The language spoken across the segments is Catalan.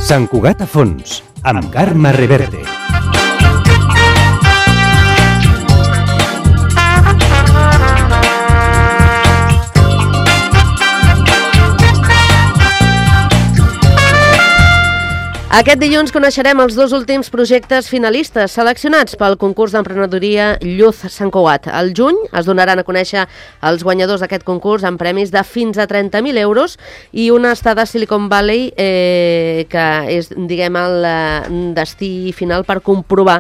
Sant Cugat a fons, amb Carme Reverte. Aquest dilluns coneixerem els dos últims projectes finalistes seleccionats pel concurs d'emprenedoria Youth Sant Cugat. Al juny es donaran a conèixer els guanyadors d'aquest concurs amb premis de fins a 30.000 euros i una estada a Silicon Valley que és, diguem, el destí final per comprovar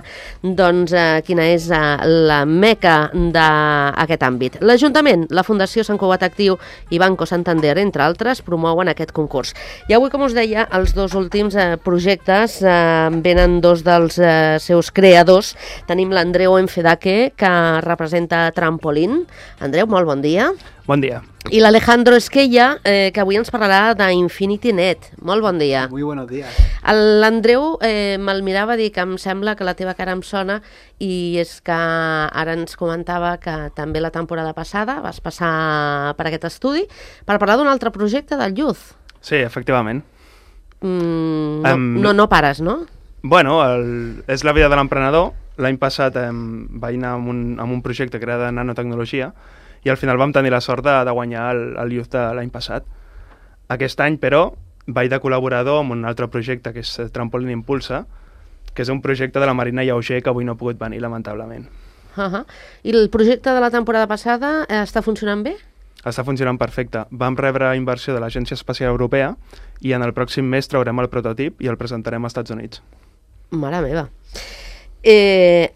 quina és la meca d'aquest àmbit. L'Ajuntament, la Fundació Sant Cugat Actiu i Banco Santander, entre altres, promouen aquest concurs. I avui, com us deia, els dos últims projectes venen dos dels seus creadors. Tenim l'Andreu Enfedaque, que representa Trampolín. Andreu, molt bon dia. Bon dia. I l'Alejandro Esquella, que avui ens parlarà d'InfinityNet. Molt bon dia. Muy buenos días. L'Andreu me'l mirava a dir que em sembla que la teva cara em sona, i és que ara ens comentava que també la temporada passada vas passar per aquest estudi per parlar d'un altre projecte del Youth. Sí, efectivament. No pares, no? Bueno, és la vida de l'emprenedor. L'any passat vaig anar amb un projecte que era de nanotecnologia i al final vam tenir la sort de guanyar el Youth de l'any passat. Aquest any, però, vaig de col·laborador amb un altre projecte que és Trampolín Impulsa, que és un projecte de la Marina Lleuger que avui no ha pogut venir, lamentablement. I el projecte de la temporada passada està funcionant bé? Està funcionant perfecte. Vam rebre inversió de l'Agència Espacial Europea i en el pròxim mes traurem el prototip i el presentarem als Estats Units. Mare meva.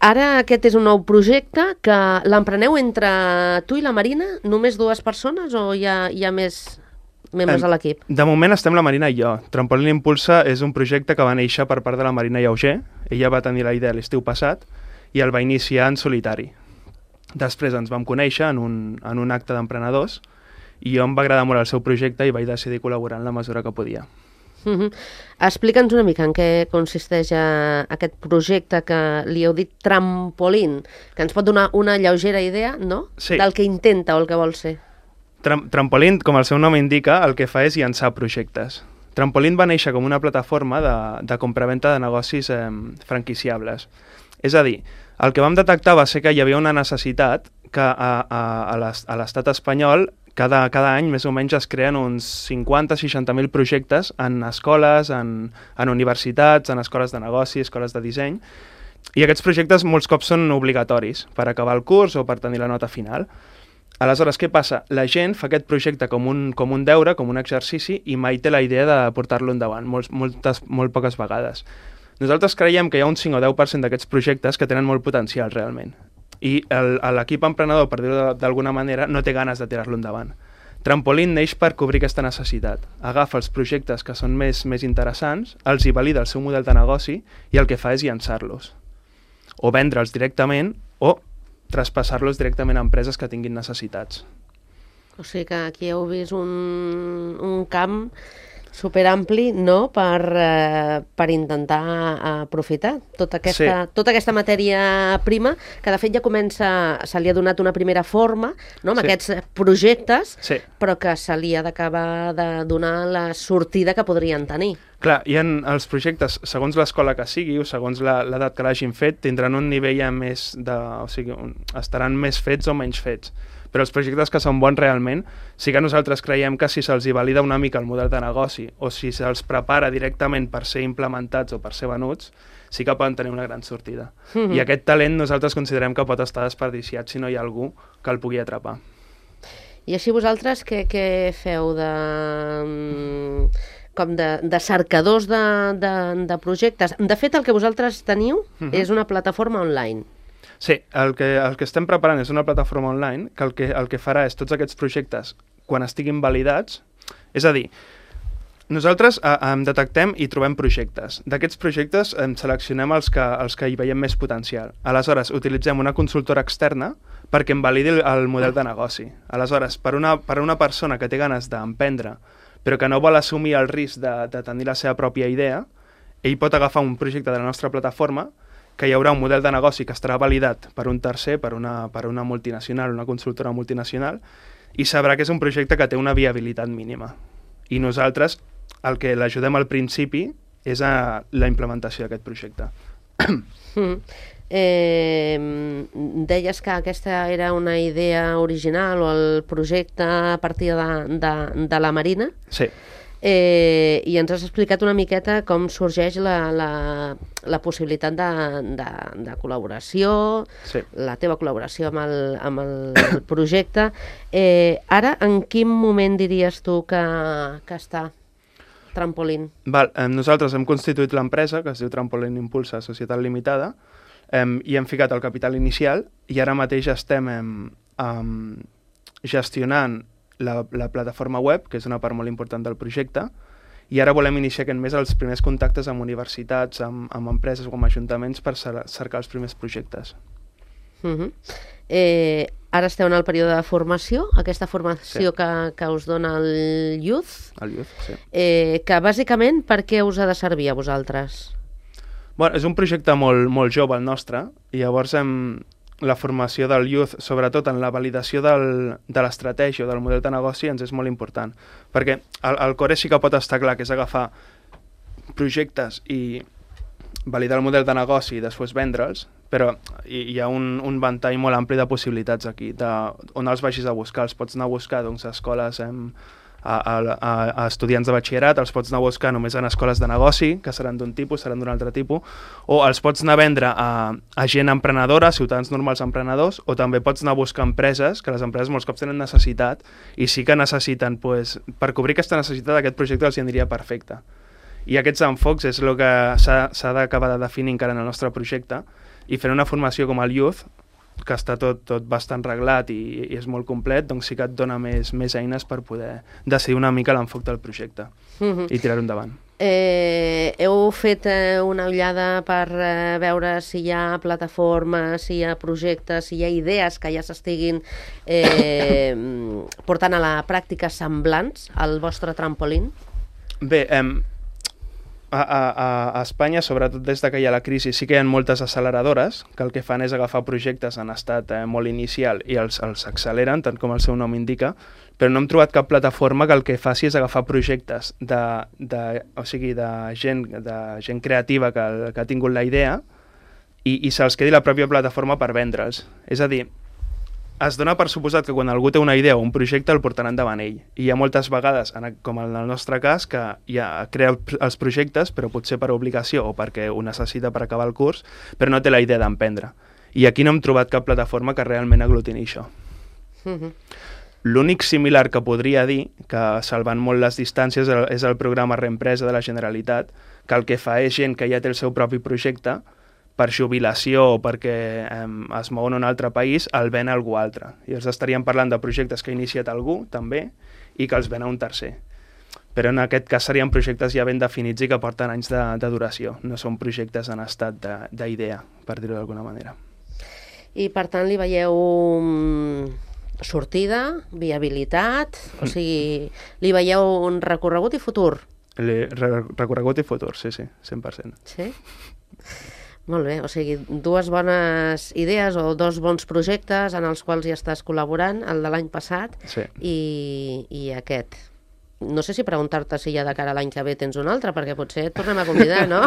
Ara aquest és un nou projecte que l'empreneu entre tu i la Marina, només dues persones, o hi ha més membres a l'equip? De moment estem la Marina i jo. Trampolín Impulsa és un projecte que va néixer per part de la Marina Lleuger. Ella va tenir la idea l'estiu passat i el va iniciar en solitari. Després ens vam conèixer en un acte d'emprenedors i jo em va agradar molt el seu projecte i vaig decidir col·laborar en la mesura que podia. Explica'ns una mica en què consisteix aquest projecte que li heu dit Trampolín, que ens pot donar una lleugera idea, no? Sí. Del que intenta o el que vol ser. Trampolín, com el seu nom indica, el que fa és llançar projectes. Trampolín va néixer com una plataforma de compraventa de negocis franquiciables. És a dir, el que vam detectar va ser que hi havia una necessitat que a l'estat espanyol cada any més o menys es creen uns 50-60.000 projectes en escoles, en universitats, en escoles de negoci, escoles de disseny, i aquests projectes molts cops són obligatoris per acabar el curs o per tenir la nota final. Aleshores, què passa? La gent fa aquest projecte com un deure, com un exercici, i mai té la idea de portar-lo endavant, molt poques vegades. Nosaltres creiem que hi ha un 5 o 10% d'aquests projectes que tenen molt potencial realment. I l'equip emprenedor, per dir-ho d'alguna manera, no té ganes de tirar-lo endavant. Trampolín neix per cobrir aquesta necessitat. Agafa els projectes que són més interessants, els hi valida el seu model de negoci i el que fa és llançar-los. O vendre'ls directament o traspassar-los directament a empreses que tinguin necessitats. O sigui que aquí heu vist un camp superampli, no?, per intentar aprofitar tota aquesta matèria prima, que de fet ja se li ha donat una primera forma, no?, amb aquests projectes, però que se li ha d'acabar de donar la sortida que podrien tenir. Clar, i els projectes, segons l'escola que sigui o segons l'edat que l'hagin fet, tindran un nivell més o sigui, estaran més fets o menys fets. Però els projectes que són bons realment, sí que nosaltres creiem que si se'ls valida una mica el model de negoci o si se'ls prepara directament per ser implementats o per ser venuts, sí que poden tenir una gran sortida. I aquest talent nosaltres considerem que pot estar desperdiciat si no hi ha algú que el pugui atrapar. I així vosaltres què feu de cercadors de projectes? De fet, el que vosaltres teniu és una plataforma online. Sí, el que estem preparant és una plataforma online que el que farà és tots aquests projectes, quan estiguin validats, és a dir, nosaltres detectem i trobem projectes. D'aquests projectes seleccionem els que hi veiem més potencial. Aleshores, utilitzem una consultora externa perquè em validi el model de negoci. Aleshores, per una persona que té ganes d'emprendre, però que no vol assumir el risc de tenir la seva pròpia idea, ell pot agafar un projecte de la nostra plataforma, que hi haurà un model de negoci que estarà validat per un tercer, per una multinacional, una consultora multinacional, i sabrà que és un projecte que té una viabilitat mínima. I nosaltres el que l'ajudem al principi és la implementació d'aquest projecte. Deies que aquesta era una idea original o el projecte a partir de la Marina. Sí. I ens has explicat una miqueta com sorgeix la possibilitat de col·laboració, Sí. la teva col·laboració amb el projecte. Ara, en quin moment diries tu que està Trampolin? Nosaltres hem constituït l'empresa, que es diu Trampolin Impulsa Societat Limitada, i hem ficat el capital inicial, i ara mateix estem gestionant la plataforma web, que és una part molt important del projecte, i ara volem iniciar aquest mes els primers contactes amb universitats, amb empreses o amb ajuntaments per cercar els primers projectes. Ara esteu en el període de formació, aquesta formació que us dona el Youth. El Youth, sí. Que bàsicament per què us ha de servir a vosaltres? Bueno, és un projecte molt jove el nostre, i llavors la formació del Youth, sobretot en la validació de l'estratègia o del model de negoci, ens és molt important. Perquè el core sí que pot estar clar, que és agafar projectes i validar el model de negoci i després vendre'ls, però hi ha un ventall molt ampli de possibilitats aquí, on els vagis a buscar. Els pots anar a buscar a escoles a estudiants de batxillerat, els pots anar a buscar només en escoles de negoci, que seran d'un tipus, seran d'un altre tipus, o els pots anar a vendre a gent emprenedora, ciutadans normals emprenedors, o també pots anar a buscar empreses, que les empreses molts cops tenen necessitat, i sí que necessiten, per cobrir aquesta necessitat, aquest projecte els hi aniria perfecte. I aquests enfocs és el que s'ha d'acabar de definir encara en el nostre projecte, i fer una formació com el Youth, que està tot bastant reglat i és molt complet, doncs sí que et dona més eines per poder decidir una mica l'enfoc del projecte i tirar-ho endavant. Heu fet una ullada per veure si hi ha plataformes, si hi ha projectes, si hi ha idees que ja s'estiguin portant a la pràctica semblants al vostre Trampolin? Bé, a Espanya, sobretot des que hi ha la crisi, sí que hi ha moltes acceleradores que el que fan és agafar projectes en estat molt inicial i els acceleren, tant com el seu nom indica, però no hem trobat cap plataforma que el que faci és agafar projectes de gent creativa que ha tingut la idea i se'ls quedi la pròpia plataforma per vendre'ls. És a dir, es dona per suposat que quan algú té una idea o un projecte el portarà endavant ell. I hi ha moltes vegades, com en el nostre cas, que ja crea els projectes, però potser per obligació o perquè ho necessita per acabar el curs, però no té la idea d'emprendre. I aquí no hem trobat cap plataforma que realment aglutini això. L'únic similar que podria dir, que salvant molt les distàncies, és el programa Reempresa de la Generalitat, que el que fa és gent que ja té el seu propi projecte, per jubilació o perquè es mouen a un altre país, el ven a algú altre. I els estaríem parlant de projectes que ha iniciat algú, també, i que els ven a un tercer. Però en aquest cas serien projectes ja ben definits i que porten anys de duració. No són projectes en estat d'idea, per dir-ho d'alguna manera. I per tant li veieu sortida, viabilitat, o sigui, li veieu un recorregut i futur? Recorregut i futur, sí, 100%. Sí? Molt bé, o sigui, dues bones idees o dos bons projectes en els quals ja estàs col·laborant, el de l'any passat i aquest. No sé si preguntar-te si ja de cara a l'any que ve tens un altre, perquè potser et tornem a convidar, no?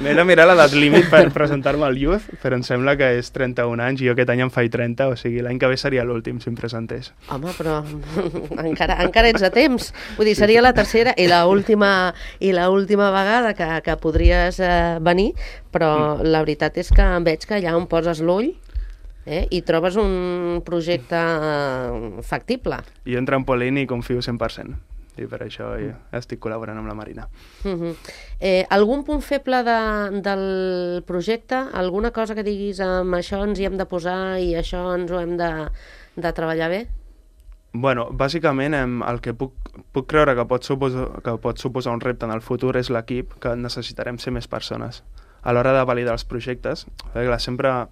M'he de mirar l'edat límit per presentar-me al Youth, però em sembla que és 31 anys i jo aquest any en faig 30, o sigui, l'any que ve seria l'últim si em presentés. Home, però encara ets a temps. Vull dir, seria la tercera i l'última vegada que podries venir, però la veritat és que veig que allà on poses l'ull i trobes un projecte factible. Jo en Trampolin hi confio 100%, i per això estic col·laborant amb la Marina. Algun punt feble del projecte? Alguna cosa que diguis amb això ens hi hem de posar i això ens ho hem de treballar bé? Bueno, bàsicament el que puc creure que pot suposar un repte en el futur és l'equip, que necessitarem ser més persones. A l'hora de validar els projectes, sempre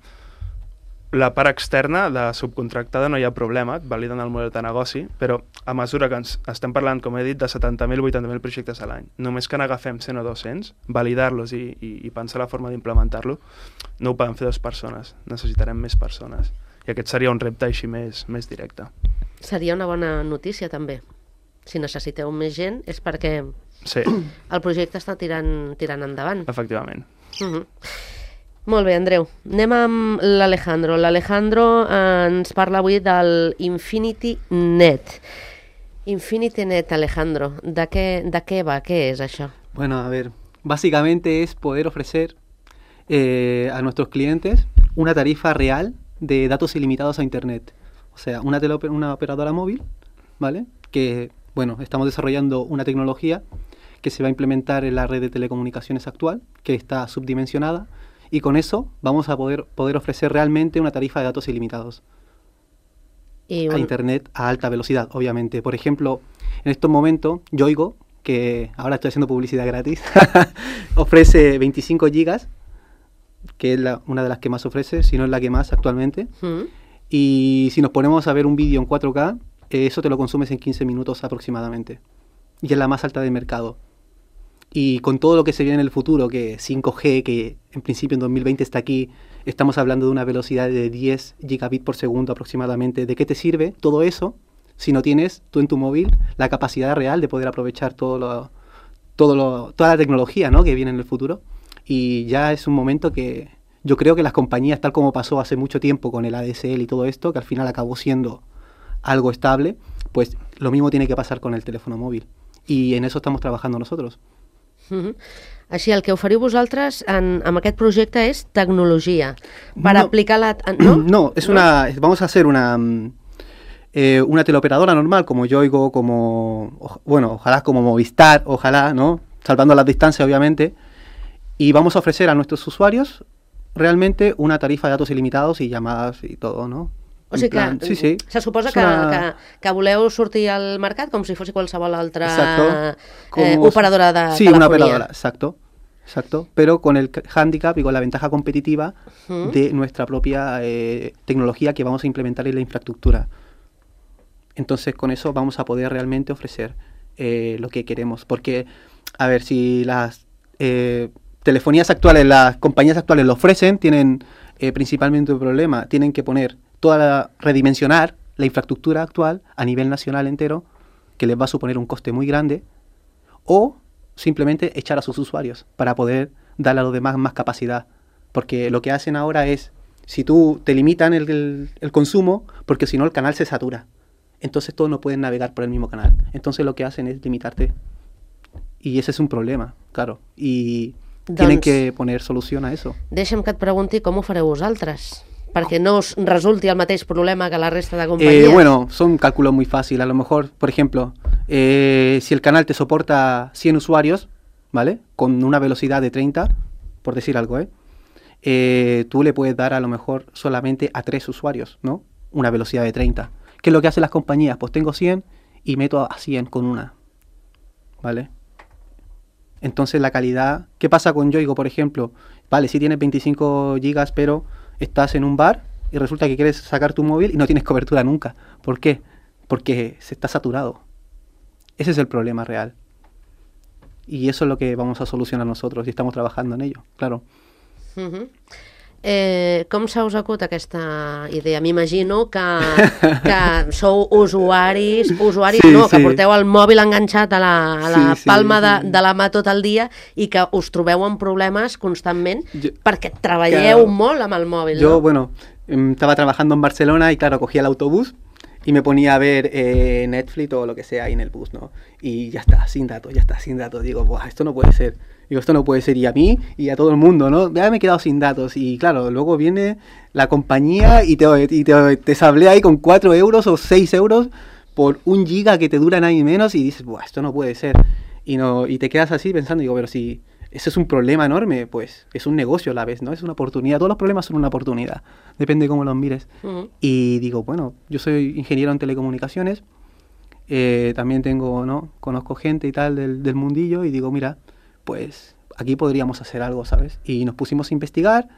la part externa de subcontractada no hi ha problema, et validen el model de negoci, però a mesura que estem parlant, com he dit, de 70.000 o 80.000 projectes a l'any, només que n'agafem 100 o 200, validar-los i pensar la forma d'implementar-lo, no ho poden fer 2 persones, necessitarem més persones. I aquest seria un repte així més directe. Seria una bona notícia, també. Si necessiteu més gent és perquè Sí, El projecte està tirant endavant. efectivament. Molt bé, Andreu. Anem amb l'Alejandro. L'Alejandro ens parla avui del Infinity Net. Infinity Net, Alejandro, ¿de qué va? ¿Qué es eso? Bueno, a ver, básicamente es poder ofrecer a nuestros clientes una tarifa real de datos ilimitados a Internet. O sea, una operadora móvil, ¿vale? Que, bueno, estamos desarrollando una tecnología que se va a implementar en la red de telecomunicaciones actual, que está subdimensionada, y con eso vamos a poder ofrecer realmente una tarifa de datos ilimitados. A Internet a alta velocidad, obviamente. Por ejemplo, en estos momentos, Yoigo, que ahora estoy haciendo publicidad gratis, ofrece 25 gigas, que es una de las que más ofrece, si no es la que más actualmente. Y si nos ponemos a ver un vídeo en 4K, eso te lo consumes en 15 minutos aproximadamente. Y es la más alta del mercado. Y con todo lo que se viene en el futuro, que 5G, que en principio en 2020 está aquí, estamos hablando de una velocidad de 10 gigabits por segundo aproximadamente. ¿De qué te sirve todo eso si no tienes tú en tu móvil la capacidad real de poder aprovechar toda la tecnología, ¿no?, que viene en el futuro? Y ya es un momento que yo creo que las compañías, tal como pasó hace mucho tiempo con el ADSL y todo esto, que al final acabó siendo algo estable, pues lo mismo tiene que pasar con el teléfono móvil. Y en eso estamos trabajando nosotros. Així, el que oferiu vosaltres amb aquest projecte és tecnologia per aplicar la... No, vamos a hacer una teleoperadora normal, como Yoigo, ojalá como Movistar, ojalá, ¿no?, salvando las distancias, obviamente, y vamos a ofrecer a nuestros usuarios realmente una tarifa de datos ilimitados y llamadas y todo, ¿no? O sigui que se suposa que voleu sortir al mercat com si fos qualsevol altra operadora de telefonia. Sí, una operadora, exacto, pero con el hándicap y con la ventaja competitiva de nuestra propia tecnología que vamos a implementar en la infraestructura. Entonces con eso vamos a poder realmente ofrecer lo que queremos, porque, a ver, si las telefonías actuales, las compañías actuales lo ofrecen, tienen principalmente un problema, tienen que poner redimensionar la infraestructura actual a nivel nacional entero, que les va a suponer un coste muy grande, o simplemente echar a sus usuarios para poder darle a los demás más capacidad. Porque lo que hacen ahora es, si tú te limitan el consumo, porque si no el canal se satura. Entonces todos no pueden navegar por el mismo canal. Entonces lo que hacen es limitarte. Y ese es un problema, claro. Y tienen que poner solución a eso. Deixa'm que et pregunti com ho fareu vosaltres, perquè no us resulti el mateix problema que la resta de compañías. Bueno, son cálculos muy fáciles. A lo mejor, por ejemplo, si el canal te soporta 100 usuarios, ¿vale?, con una velocidad de 30, por decir algo, tú le puedes dar a lo mejor solamente a 3 usuarios, ¿no?, una velocidad de 30. ¿Qué es lo que hacen las compañías? Pues tengo 100 y meto a 100 con una, ¿vale? Entonces la calidad... ¿Qué pasa con Yoigo, por ejemplo? Vale, sí tienes 25 gigas, pero estás en un bar y resulta que quieres sacar tu móvil y no tienes cobertura nunca. ¿Por qué? Porque se está saturado. Ese es el problema real. Y eso es lo que vamos a solucionar nosotros y estamos trabajando en ello, claro. Com s'ha us acut aquesta idea? M'imagino que sou usuaris, que porteu el mòbil enganxat a la palma de la mà tot el dia i que us trobeu amb problemes constantment perquè treballeu molt amb el mòbil, ¿no? Yo, bueno, estaba trabajando en Barcelona y claro, cogía el autobús y me ponía a ver Netflix o lo que sea ahí en el bus, ¿no? Y ya está, sin datos. Digo, buah, esto no puede ser. Y a mí y a todo el mundo, ¿no? Ya me he quedado sin datos. Y claro, luego viene la compañía y te sablea ahí con 4 euros o 6 euros por 1 giga que te dura nada y menos y dices, buah, esto no puede ser. Y te quedas así pensando, digo, pero si ese es un problema enorme, pues es un negocio a la vez, ¿no? Es una oportunidad. Todos los problemas son una oportunidad. Depende de cómo los mires. Y digo, bueno, yo soy ingeniero en telecomunicaciones. También conozco gente y tal del mundillo y digo, mira, pues aquí podríamos hacer algo, ¿sabes? Y nos pusimos a investigar,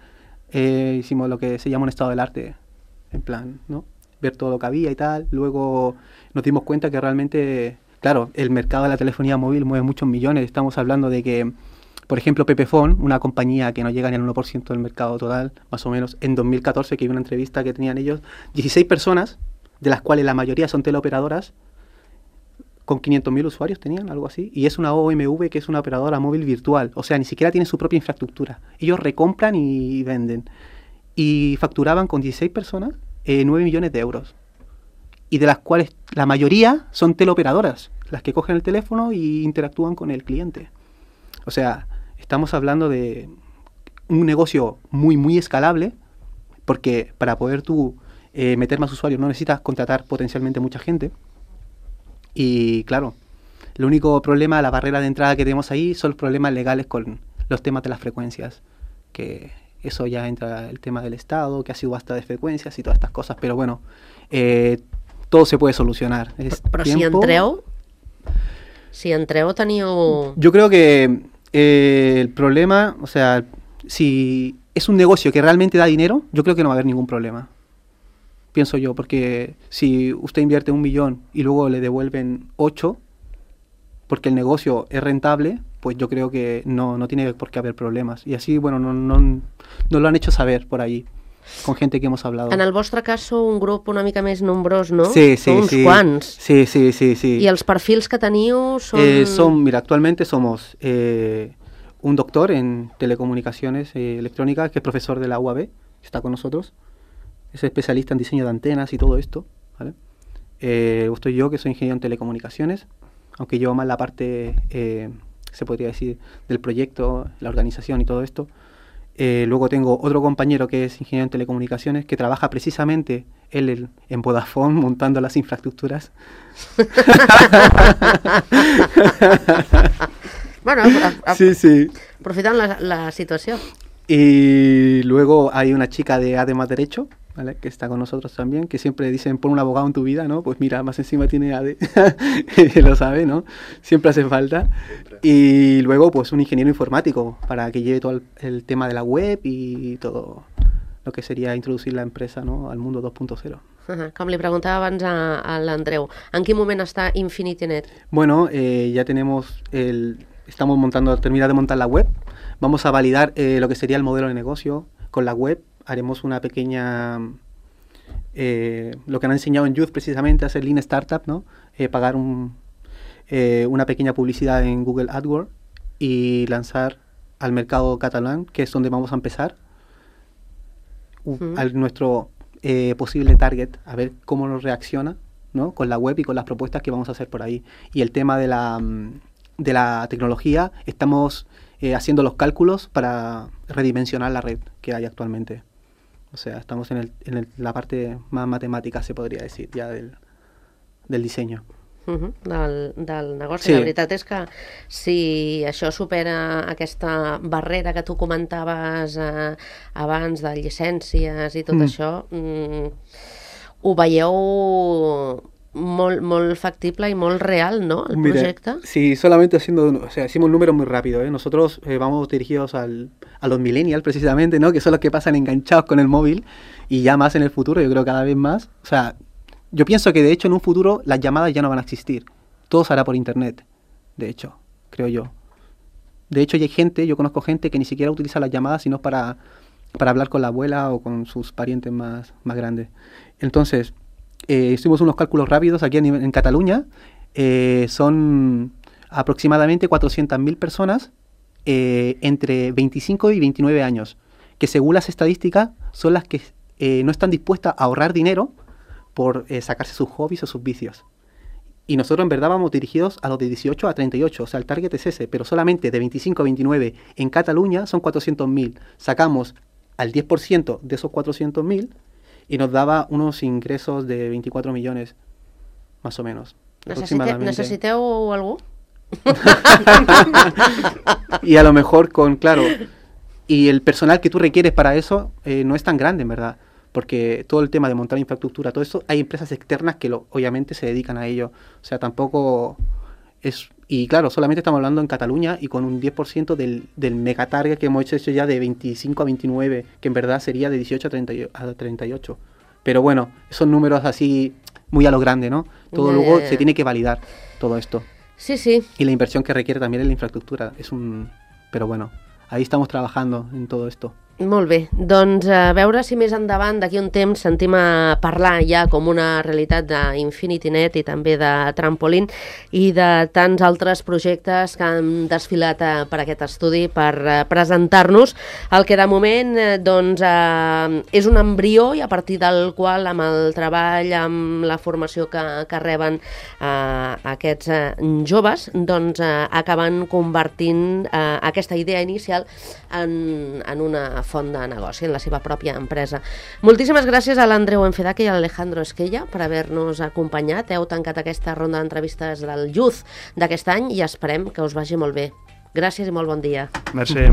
hicimos lo que se llama un estado del arte, en plan, ¿no?, ver todo lo que había y tal. Luego nos dimos cuenta que realmente, claro, el mercado de la telefonía móvil mueve muchos millones. Estamos hablando de que, por ejemplo, Pepefon, una compañía que no llega ni al 1% del mercado total, más o menos, en 2014, que vi una entrevista que tenían ellos, 16 personas, de las cuales la mayoría son teleoperadoras, con 500.000 usuarios tenían, algo así, y es una OMV que es una operadora móvil virtual, o sea, ni siquiera tienen su propia infraestructura. Ellos recompran y venden. Y facturaban con 16 personas 9 millones de euros. Y de las cuales la mayoría son teleoperadoras, las que cogen el teléfono y interactúan con el cliente. O sea, estamos hablando de un negocio muy, muy escalable, porque para poder tú meter más usuarios no necesitas contratar potencialmente mucha gente. Y claro, el único problema, la barrera de entrada que tenemos ahí son los problemas legales con los temas de las frecuencias, que eso ya entra el tema del Estado, que ha subasta de frecuencias y todas estas cosas, pero bueno, todo se puede solucionar. Però si entreu teniu... Yo creo que el problema, o sea, si es un negocio que realmente da dinero, yo creo que no va a haber ningún problema. Pienso yo, porque si usted invierte 1 millón y luego le devuelven 8, porque el negocio es rentable, pues yo creo que no tiene por qué haber problemas. Y así, bueno, no lo han hecho saber por ahí, con gente que hemos hablado. En el vostre cas sou un grup una mica més nombrós, no? Sí, sí, Sou uns sí. quants. Sí. I els perfils que teniu són... Mira, actualmente somos un doctor en telecomunicaciones electrónicas, que es profesor de la UAB, que está con nosotros. Es especialista en diseño de antenas y todo esto, ¿vale? Estoy yo, que soy ingeniero en telecomunicaciones, aunque llevo más la parte, se podría decir, del proyecto, la organización y todo esto. Luego tengo otro compañero que es ingeniero en telecomunicaciones, que trabaja precisamente él en Vodafone montando las infraestructuras. Bueno, Sí. aprofitant la situació. Y luego hay una chica de ADE más Derecho, ¿vale? Que está con nosotros también, que siempre dicen, pon un abogado en tu vida, ¿no? Pues mira, más encima tiene ADE, lo sabe, ¿no? Siempre hace falta. Y luego, pues un ingeniero informático, para que lleve todo el tema de la web y todo lo que sería introducir la empresa, ¿no? Al mundo 2.0. Com li preguntava abans a l'Andreu, en quin moment està InfinityNet? Bueno, ya tenemos estamos terminar de montar la web. Vamos a validar lo que sería el modelo de negocio con la web. Haremos una pequeña, lo que han enseñado en Youth precisamente, hacer Lean Startup, ¿no? Pagar una pequeña publicidad en Google AdWords y lanzar al mercado catalán, que es donde vamos a empezar, a nuestro posible target, a ver cómo nos reacciona, ¿no? Con la web y con las propuestas que vamos a hacer por ahí. Y el tema de la tecnología, estamos haciendo los cálculos para redimensionar la red que hay actualmente. O sea, estamos en la parte más matemática, se podría decir, ya del diseño. Del negoci. Sí. La veritat és que si això supera aquesta barrera que tu comentaves abans de llicències i tot això, ho veieu molt factible y muy real, ¿no? El proyecto. Sí, solamente hicimos números muy rápido, ¿eh? Nosotros vamos dirigidos a los millennials precisamente, ¿no? Que son los que pasan enganchados con el móvil, y ya más en el futuro, yo creo cada vez más. O sea, yo pienso que de hecho en un futuro las llamadas ya no van a existir. Todo se hará por internet, de hecho, creo yo. De hecho, yo conozco gente que ni siquiera utiliza las llamadas sino para hablar con la abuela o con sus parientes más grandes. Entonces, hicimos unos cálculos rápidos aquí en Cataluña. Son aproximadamente 400.000 personas entre 25 y 29 años, que según las estadísticas son las que no están dispuestas a ahorrar dinero por sacarse sus hobbies o sus vicios. Y nosotros en verdad vamos dirigidos a los de 18 a 38, o sea, el target es ese, pero solamente de 25 a 29 en Cataluña son 400.000. Sacamos al 10% de esos 400.000 y nos daba unos ingresos de 24 millones, más o menos. ¿Necesiteu algú? Y a lo mejor claro, y el personal que tú requieres para eso no es tan grande, en verdad, porque todo el tema de montar infraestructura, todo eso, hay empresas externas que obviamente se dedican a ello. O sea, tampoco es... Y claro, solamente estamos hablando en Cataluña y con un 10% del megatarget que hemos hecho ya de 25 a 29, que en verdad sería de 18 a 38. Pero bueno, son números así muy a lo grande, ¿no? Todo luego se tiene que validar todo esto. Sí, sí. Y la inversión que requiere también en la infraestructura es Pero bueno, ahí estamos trabajando en todo esto. Molt bé, doncs a veure si més endavant, d'aquí un temps, sentim a parlar ja com una realitat d'InfinityNet i també de Trampolin i de tants altres projectes que han desfilat per aquest estudi per presentar-nos el que de moment és un embrió i a partir del qual amb el treball, amb la formació que reben aquests joves, doncs acaben convertint aquesta idea inicial en una font de negoci, en la seva pròpia empresa. Moltíssimes gràcies a l'Andreu Enfedaque i a l'Alejandro Esquella per haver-nos acompanyat. Heu tancat aquesta ronda d'entrevistes del Youth d'aquest any i esperem que us vagi molt bé. Gràcies i molt bon dia. Merci.